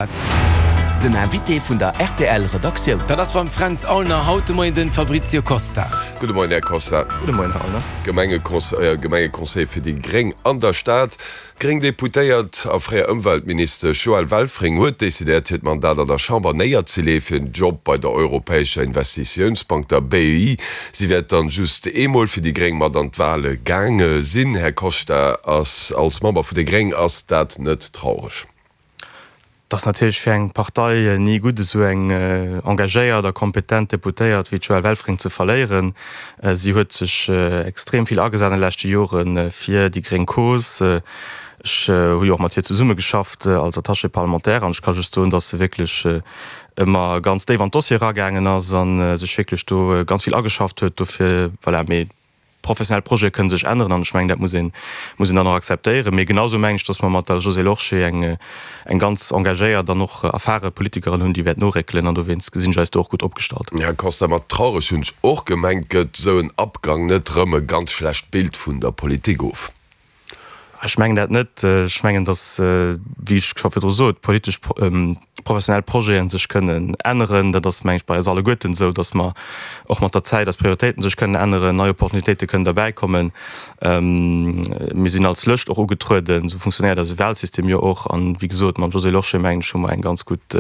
Den Invité vun der rtl Redaktioun. Dat ass beim Fränz Aulner haut de Moien den Fabrizio Costa. Gudde Moien, Här Costa. Gudde Moien, Här Aulner. Gemengeconseiller fir déi gréng an der Stad. D'gréng Deputéiert a fréier Ëmweltministesch Joëlle Welfring huet decidéiert, hiert Mandat an der Chamber néierzelee fir en Job bei der Europäescher Investitiounsbank, der BEI. Si wäert dann just eemol fir déi gréng mat an d'Wale gaange sinn. Här Costa, als Member vun déi gréng ass dat net traureg? Et ass natierlech fir eng Partei ni gutt, esou eng engagéiert a kompetent Deputéiert wéi d'Joëlle Welfring ze verléieren. Si huet sech extrem vill agesat an de leschte Jore fir déi gréng Cause. Ech hu jo och mat hir zesummegeschafft als Attachée parlementaire an ech ka just soen, datt se wierklech ëmmer ganz déif an d'Dossiere eragaangen ass a sech wierklech do ganz vill ageschafft huet dofir. Voilà, mee Professionell Projete kënnen sech änneren an ech mengen, dat muss een, muss een dann och akzeptéieren. Mee genau esou mengen ech, datt mer mat der Josée Lorsché eng, eng ganz engagéiert an och erfare Politikerin hunn, déi wäert noréckelen an dowéinst gesinn ech eis do och gutt opgestallt. Här Costa, mat traureg hunn ech och gemengt, gëtt esou en Abgang net rëm e ganz schlecht Bild vun der Politik of? Ech mengen dat net. Ech mengen, datt, wéi ech scho virdru sot, politesch, professionell Projete sech kënnen änneren. Dat ass, meng ech, bei eis alleguerten esou, datt mer och mat der Zäit eis Prioritéiten sech kënnen änneren, nei Opportunitéite kënnen derbäikommen. Mir sinn als Lëscht och ugetrueden. Esou funktionéiert eise Wahlsystem jo och. An, wéi gesot, mam Josée Lorsché, mengen ech, hu mer eng ganz gutt,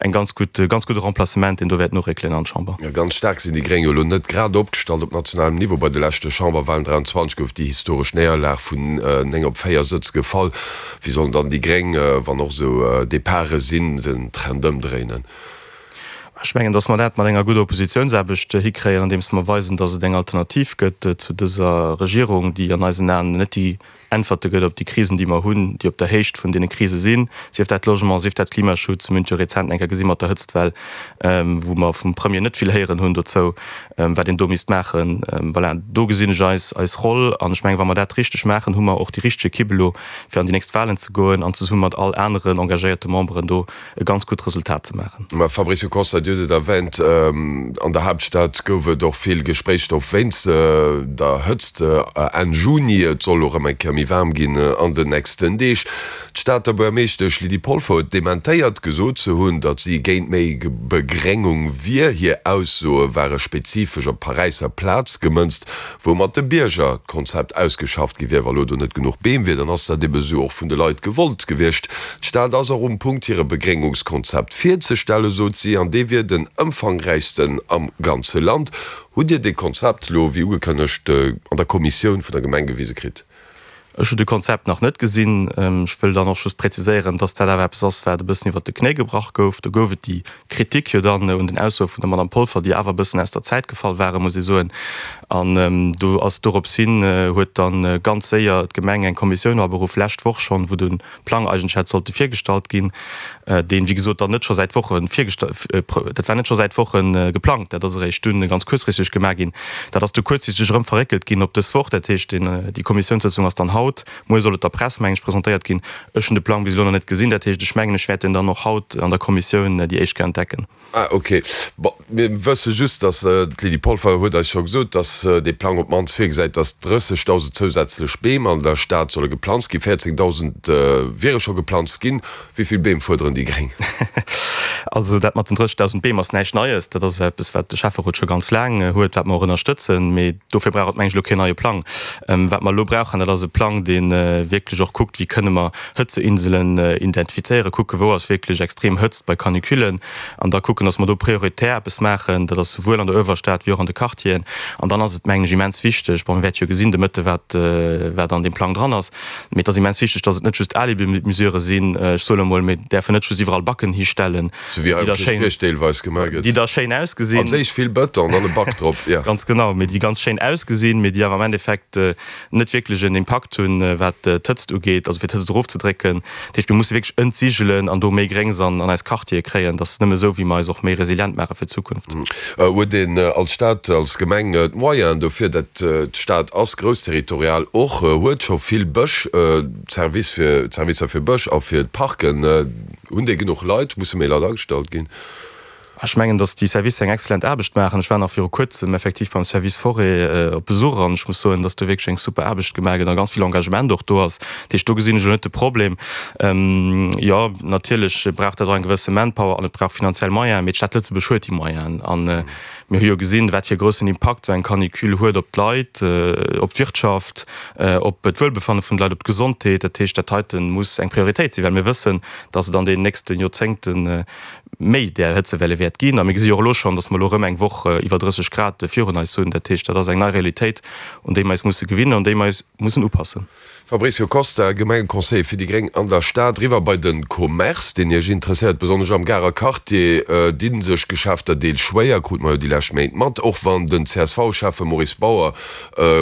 Eng ganz gutt, ganz gudde Remplacement, deen do wäert noréckelen an d'Chamber. Ganz staark sinn déi Gréng jo elo net grad opgestallt op nationalem Niveau. Bei de leschte Chamberwahlen 23 gouf déi historesch Néierlag vun 9 op 4 Sëtz gefall. Wéi sollen dann déi Gréng, wann och esou Departe sinn, den Trend ëmdréinen? Ech mengen, datt mer dat mat enger gudder Oppositiounsaarbecht hikréien, andeems mer weisen, datt et eng Alternativ gëtt zu dëser Regierung, déi an eisen Aen net déi Äntwerte gëtt op déi Krisen, déi mer hunn, déi op der Héicht vun deene Krise sinn, sief dat Logement, sief dat Klimaschutz. Mir hunn et jo rezent eng Kéier gesi mat der Hëtztwell, wou mer vum Premier net vill héieren hunn dozou, wat een do misst maachen. Voilà, do gesinn ech eis, eis Roll. An ech mengen, wa mer dat richteg maachen, hu mer och déi richteg Ekipp elo, fir an déi nächst Wahlen ze goen an zesumme mat all aneren engagéierte Memberen do e ganz gutt Resultat ze maachen. Mme Fabricio Costa, Dir hutt et erwähnt, an der Haaptstad gouf et och vill Gespréichsstoff wéinst der Hëtzt Enn Juni. Et soll och erëm eng Kéier méi waarm ginn an den nächsten Deeg. D'Stater Buergermeeschtesch Lydie Polfer huet dementéiert, gesot ze hunn, datt si géint méi Begréngung wier. Hir Aussoe ware spezifesch op d'Paräisser Plaz gemënzt. Wou mat de Bierger d'Konzept ausgeschafft gi wier. Wa lo do net genuch Beem wier, dann ass dat ebe sou och vun de Leit gewollt gewiescht. D'Stad ass och um Punkt hire Begréngungskonzept virzestellen, sot si, an dee wier den ëmfangräichsten am ganze Land. Hutt Dir dee Konzept lo, wéi ugekënnegt, an der Kommissioun vun der Gemeng gewise kritt? Ech hunn de Konzept nach net gesinn. Ech wëll dann och just präziséieren, dass dat awer eppes ass, wat e bëssen iwwert de Knéi gebrach gouf. Do gouf et déi Kritik jo dann un den Aussoe vun der Madame Polfer, déi awer e bëssen aus der Zäit gefall waren, muss ee soen. An do ass dorops hin huet da ganz séier d'Gemeng eng Kommissioun aberuff, lescht Woch schonn, wou de Plang eigentlech hätt sollte virgestallt ginn, deen, wéi gesot, dann net scho säit Woche virgesta-, dat war net scho säit Woche geplangt, dat ass eréischt dunn ganz kuerzfristeg gemaach ginn. Dat ass du kuerzfristeg erëm verréckelt ginn op dës Woch. Dat heescht, deen, déi Kommissiounssëtzung ass dann haut. Muer soll et der Press, mengen ech, presentéiert ginn. Ech hunn de Plang bis elo nach net gesinn. Dat heescht, ech mengen, ech wäert deen dann och haut an der Kommissioun déi éischt Kéier entdecken. Ah, ok. Bon, mir wësse just, dass, d'Lydie Polfer huet eis scho gesot, dass dee Plang op d'mannst virgesäit, dass 30.000 zousätzlech Beem an der Stad solle geplanzt ginn. 14.000 wiere scho geplanzt ginn. Wéi vill Beem fuerderen déi Gréng? Also dat mat den 30.000 Beem ass näischt Neies. Dat ass eppes, wat de Schäfferot scho ganz laang huet, wat mer och ënnerstëtzen. Mee dofir brauch et, meng ech, elo keen neie Plang. Wat mer elo brauchen, dat ass e Plang, dee wierklech och kuckt, wéi kënne mer Hëtzeinselen identifizéieren, kucken, wou ass wierklech extrem Hëtzt bei Canicullen an da kucken, dass mer do prioritär eppes maachen. Dat ass souwuel an der Uewerstad wéi och an de Quartieren. An dann ass et, mengen ech, immens wichteg, bon, mir wäerte jo gesinn de Mëtte wat, wat an deem Plang dran ass, mee et ass immens wichteg, dass et net just Alibi-Mesurë sinn, ech soen emol, mir däerfen net just iwwerall Backen histellen, Sou wéi hei um Kierchbierg deelweis gemaach gëtt. Déi da schéin ausgesinn. An séich vill Bëton an dann e Back drop, jo. Ganz genau, mee déi ganz schéin ausgesinn, mee déi awer am Endeffekt net wierklech en Impakt hunn, wat d'Hëtzt ugeet, also fir d'Hëtzt erofzedrécken. Dat heescht, mir musse wierklech entsigelen an do méi Gréngs an eis Quartiere kréien. Dat ass nëmme esou, wéi mer eis och méi resilient maache fir d'Zukunft. Huet een als Stad, als Gemeng d'Moyenen dofir? Dat d'Stad ass groussterritorial och, huet scho vill Bësch, d'Service fir, d'Servicer fir Bësch a fir d'Parken. Hunn déi genuch Leit? Musse méi Leit agestallt ginn? Ech mengen, datt déi Servicer eng excellent Aarbecht maachen. Ech war nach viru kuerzem effektiv beim Service Forêt op Besuch an ech muss soen, datt do wierklech eng super Aarbecht gemaach gëtt a ganz vill Engagement och do ass. Dat heescht, do gesinn ech elo net de Problem. Jo, natierlech brauch dat och eng gewësse Manpower an et brauch finanziell Moyenen, mee d'Stad Lëtzebuerg huet déi Moyenen. A mir hu jo gesinn, wat fir e groussen Impakt esou eng Canicule huet op d'Leit, op d'Wirtschaft, op d'Wuelbefanne vun de Leit, op d'Gesondheet. Dat heescht, dat heite muss eng Prioritéit sinn, well mir wëssen, datt et an deenen nächste Joerzéngte méi där Hëtzewelle wäert ginn. A mir gesi jo och elo schonn, datt mer elo erëm eng Woch iwwer 30 Grad virun eis hunn. Dat heescht, dat ass eng nei Realitéit, un déi mer eis musse gewinnen, un déi mer eis mussen upassen. Fabrício Costa, Gemengeconseiller fir déi gréng an der Stad. Eriwwer bei de Commerce, deen Iech interesséiert. Besonnesch am Garer Quartier di sech Geschäfter deels schwéier, krute mer jo déi lescht Méint mat. Och wann den CSV-Schäffe Maurice Bauer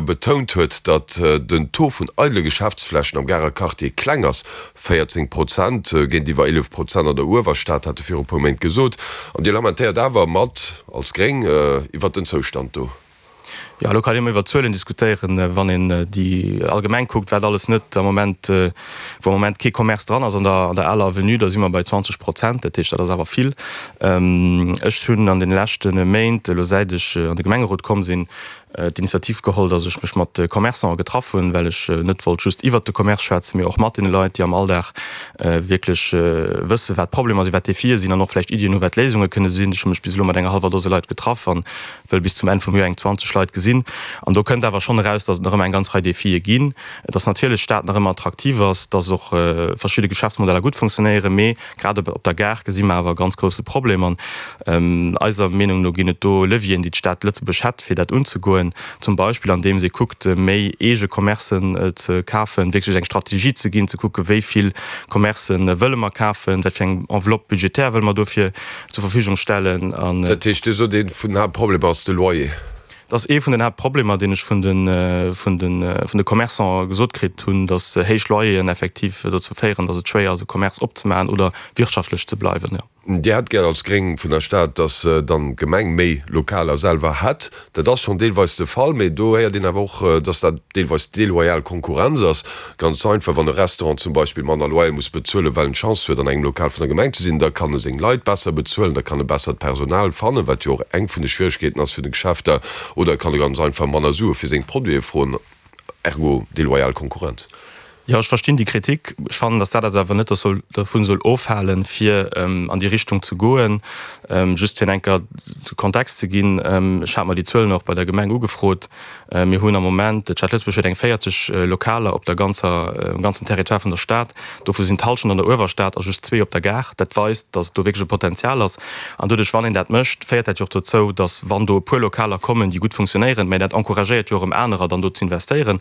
betount huet, datt den Taux vun eidele Geschäftsflächen am Garer Quartier kleng ass, 14 Prozent géintiwwer 11 Prozent an der Uewerstad, hat e viru puer Méint gesot. An Dir lamentéiert awer mat als Gréng iwwert den Zoustand do. Jo, elo kann ee ëmmer iwwer Zuelen diskutéieren. Wann een déi allgemeng kuckt, wat alles net am Moment, wou am Moment kee Commerce dran ass an der an der aler Avenue, da si mer bei 20 Prozent. Dat heescht, dat ass awer vill. Ech hunn an deene leschte Méint, elo säit ech an de Gemengerot komm sinn, d'Initiativ geholl, dass ech mech mat Commerçanten getraff hunn, well ech net wollt just iwwert de Commerce schwätzen, mee och mat deene Leit, déi am Alldag wierklech wëssen, wat d'Problemer sinn, wat d'Defie sinn an och vläicht Iddien hunn, wat d'Léisunge kënne sinn. Ech hu mech bis elo mat enger hallwer Dose Leit getraff an wëll bis zum Enn vum Joer eng 20 Leit gesinn. An do kënnt awer schonn eraus, dass et nach ëmmer eng ganz Rei Defie ginn, dass natierlech d'Stad nach ëmmer attraktiv ass, dass och verschidde Geschäftsmodeller gutt funktionéieren, mee Grad op der Gare gesi mer awer e ganz grousse Problem. An eiser Meenung no ginn et do Levieren, déi d'Stad Lëtzebuerg hätt, fir dat unzegoen. Zum Beispill andeems ee kuckt, méi eege Commercen ze kafen, wierklech eng Strategie ze ginn, ze kucken, wéi vill Commercë wëlle mer kafen, wat fir eng Enveloppe budgétaire wëlle mer dofir zur Verfügung stellen. Dat heescht, Dir sot, ee vun den Haaptproblemer ass de Loyer. Dat ass ee vun den Haaptproblemer, deen ech vun de, vun de, vun de Commerçantë gesot kritt hunn, datt héich Loyeren effektiv dozou féieren, datt et schwéier ass, e Commerce opzemaachen oder wirtschaftlech ze bleiwen, jo. Dir hätt gär als Gréng vun der Stad, datt dann d'Gemeng méi Lokaler selwer hätt. Dat ass schonn deelweis de Fall, mee do héiert een awer och, datt dat deelweis deloyal Konkurrenz ass. Ganz einfach, wann e Restaurant zum Beispill manner Loyer muss bezuelen, well en d'Chance huet, an engem Lokal vun der Gemeng ze sinn, da kann e seng Leit besser bezuelen, da kann e bessert Personal fannen, wat jo och eng vun de Schwieregkeeten ass vun de Geschäfter, oder e kann e ganz einfach manner Sue fir seng Produite froen, ergo deloyal Konkurrenz. Jo, ech verstinn déi Kritik. Ech fannen, datt dat eis awer net dervun soll ofhalen, fir an déi Richtung ze goen. Just fir en enker de Kontext ze ginn, ech hat mer déi Zuelen och bei der Gemeng ugefrot, Mir hunn am Moment, d'Stad Lëtzebuerg huet eng 40 Lokaler op der ganzer, um ganzen Territoire vun der Stad. Dovu sinn d'Hallschent an der Uewerstad a just zwee op der Gare. Dat weist, datt do wierklech e Potenzial ass. An doduerch, wann een dat mécht, féiert dat jo och dozou, datt wann do e puer Lokaler kommen, déi gutt funktionéieren, mä dat encouragéiert jo erëm anerer dann do z'investéieren.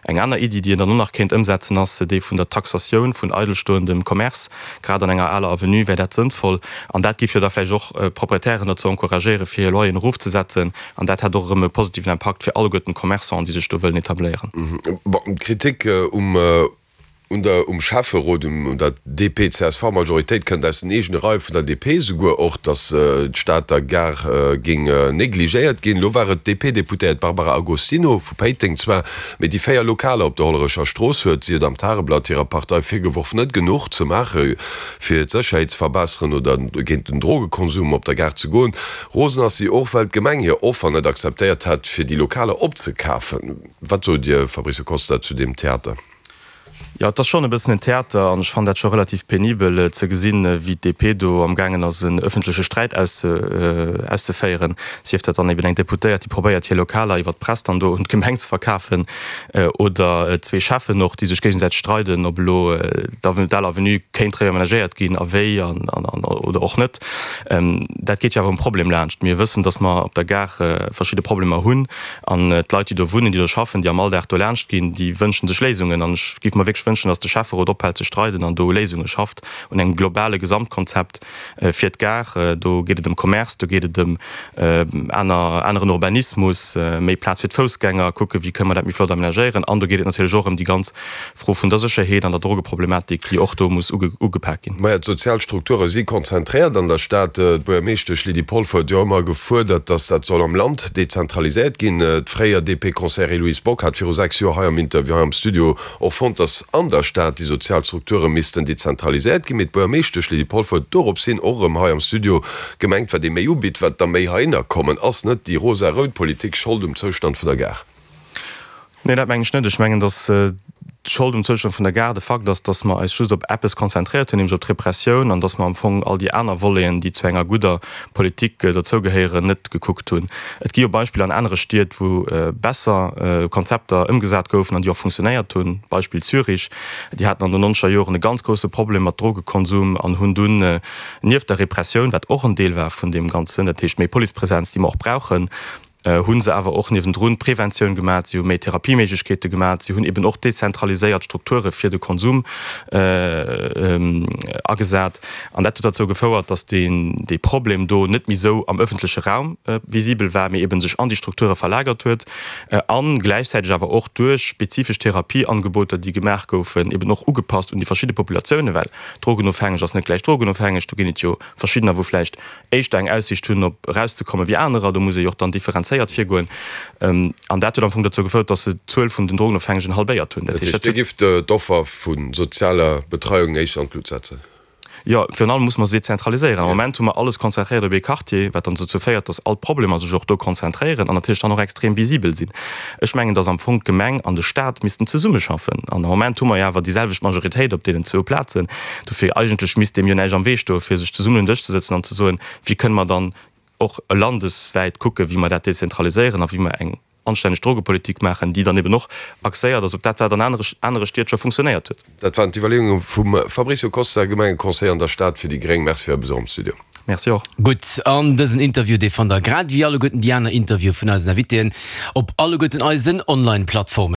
Eng aner Iddi, déi een dann och nach kéint ëmsetzen, ass déi vun der Taxatioun vun eidelstoendem Commerce. Grad an enger aler Avenue wär dat sënnvoll. An dat géif jo da vläicht och d'Proprietären dozou encouragéieren, fir hir Loyeren erofzesetzen. An dat hätt och erëm e positiven Impakt fir alleguerten d'Commerçanten, déi sech do wëllen etabléieren. Bon, d'Kritik um un der um Schäfferot, un der DP-CSV-Majoritéit kënnt aus den eegene Reie vun der DP esouguer och, datt d'Stater Gare géing negligéiert ginn. Elo war et d'DP-Deputéiert Barbara Agostino vu Péiteng zwar, mee déi 4 Lokaler op der Hollerecher Strooss huet si et am Tageblatt hirer Partei virgeworf, net genuch ze maache fir d'Sécherheet ze verbesseren oder géint den Drogekonsum op der Gare ze goen. Rosen ass si och, well d'Gemeng hir Offer net akzeptéiert hätt, fir déi Lokaler opzekafen. Wat sot Dir, Fabricio Costa, zu deem Theater? Jo, et ass schonn e bëssen en Theater an ech fannen dat scho relativ penibel ze gesinn, wéi d'DP do amgaangen ass, en ëffentleche Sträit auszeféieren. Sief dat dann eben eng Deputéiert, déi probéiert, hir Lokaler iwwer d'Press dann do un d'Gemeng ze verkafen, oder zwee Cheffen och, déi sech géigesäiteg streiden, ob elo d'Al Avenue kéint reamenagéiert ginn a wéi oder och net. Dat geet jo awer um Problem laanscht. Mir wëssen, datt mer op der Gare verschidde Problemer hunn an d'Leit, déi do wunnen, déi do schaffen, déi am Alldag do laanscht ginn, déi wënsche sech Léisungen. An ech géif mer wierklech wënschen, datt de Schäfferot ophält ze streiden an do Léisunge schafft un engem globale Gesamtkonzept fir d'Gare. Do geet et ëm Commerce, do geet et ëm aner, aneren Urbanismus, méi Plaz fir d'Foussgänger, kucken, wéi kënne mer dat méi flott amenagéieren. An do geet et natierlech och ëm déi ganz Fro vun der Sécherheet an der Drogeproblematik, déi och do muss ugepak ginn. Maja, d'sozial Strukture si konzentréiert an der Stad. Stad. D'Buergermeeschtesch Lydie Polfer huet jo ëmmer gefuerdert, datt dat soll am Land dezentraliséiert ginn. D'fréier DP-Conseillère Héloïse Bock hat viru 6 Joer hei am Interview hei am Studio och fonnt, datt an der Stad déi sozial Strukture missten dezentraliséiert ginn. Mee d'Buergermeeschtesch Lydie Polfer huet dorops hin och erëm hei am Studio gemengt, wat ee méi ubitt, wat der méi heihinner kommen. Ass net déi rosa-rout Politik Schold um Zoustand vun der Gare? Nee, dat mengen ech net. Ech mengen, datt d'Schold um Zoustand vun der Gare de Fakt ass, datt mer eis just op eppes konzentréiert hunn, nämlech op d'Repressioun, an datt mer am Fong all déi aner Voleten, déi zu enger gudder Politik derzougehéieren, net gekuckt hunn. Et gi jo Beispiller an anere Stied, wou besser Konzepter ëmgesat goufen an déi och funktionéiert hunn. Beispill Zürich, déi haten an den nonzeger Joren e ganz grousse Problem mat Drogekonsum an hunn dunn nieft der Repressioun, wat och en Deel war vun deem Ganzen, dat heescht méi Policepresenz, déi mer och brauchen, hu se awer och niewendrun Preventioun gemat, si hu méi Therapieméiglechkeete gemat, si hunn eben och dezentraliséiert Strukture fir de Konsum agesat. An dat huet derzou gefouert, datt dee Problem do net méi esou am ëffentleche Raum visibel war, mee eben sech an déi Strukture verlagert huet a gläichzäiteg awer och duerch spezifesch Therapieangeboter, déi gemaach goufen, eben och ugepasst un déi verschidde Populatiounen, well drogenofhängeg ass net gläich drogenofhängeg, do ginn et jo verschiddener, wou vläicht éischter eng Aussiicht hunn op erauszekomme wéi anerer. Do muss ee jo och dann differenzéiert virgoen. An dat huet am Fong dozou gefouert, datt se d'Zuel vun den Drogenofhängegen halbéiert hunn. Dat heescht, Dir gifft d'Offer vu sozialer Betreiung éischter an d'Lut setzen? Jo, virun allem musse mer se dezentraliséieren. Am Moment hu mer alles konzentréiert op ee Quartier, wat dann dozou féiert, datt all d'Problemer sech och do konzentréieren an natierlech dann och extrem visibel sinn. Ech mengen, datt am Fong d'Gemeng an de Staat missten zesummeschaffen. An am Moment hu mer jo awer déi selwecht Majoritéit op deenen zwou Plazen. Dofir eigentlech misst deem jo näischt am Wee stoen, fir sech zesummen un den Dësch ze sëtzen an ze soen, wéi kënne mer dann och landeswäit kucken, wéi mer dat dezentraliséieren a wéi mer eng anstänneg Drogepolitik maachen, déi dann eben och axéiert ass op dat, wat an anere Stied scho funktionéiert huet. Dat waren d'Iwwerleeunge vum Fabricio Costa, Gemengeconseiller an der Stad fir déi gréng. Merci fir Är Besuch am Studio. Merci och. Gutt, an dësen Interview, dee fannt der grad ewéi alleguerten déi aner Interviewe vun eisen Invitéen op alleguerten eisen Online-Plattformen.